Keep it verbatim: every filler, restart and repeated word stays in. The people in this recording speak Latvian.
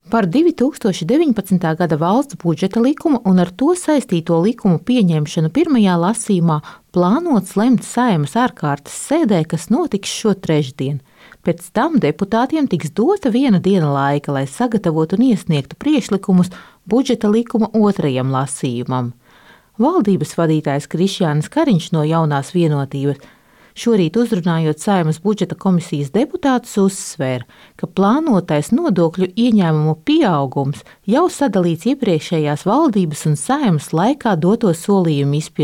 Par divi tūkstoši deviņpadsmitā gada valsts budžeta likumu un ar to saistīto likumu pieņemšanu pirmajā lasījumā plānots lemt Saeimas ārkārtas sēdē, kas notiks šo trešdien. Pēc tam deputātiem tiks dota viena diena laika, lai sagatavotu un iesniegtu priekšlikumus budžeta likuma otrajam lasījumam. Valdības vadītājs Krišjānis Kariņš no Jaunās Vienotības šorīt uzrunājot Saeimas budžeta komisijas deputātus uzsvēra, ka plānotais nodokļu ieņēmumu pieaugums jau sadalīts iepriekšējās valdības un Saeimas laikā doto solījumu izpildē.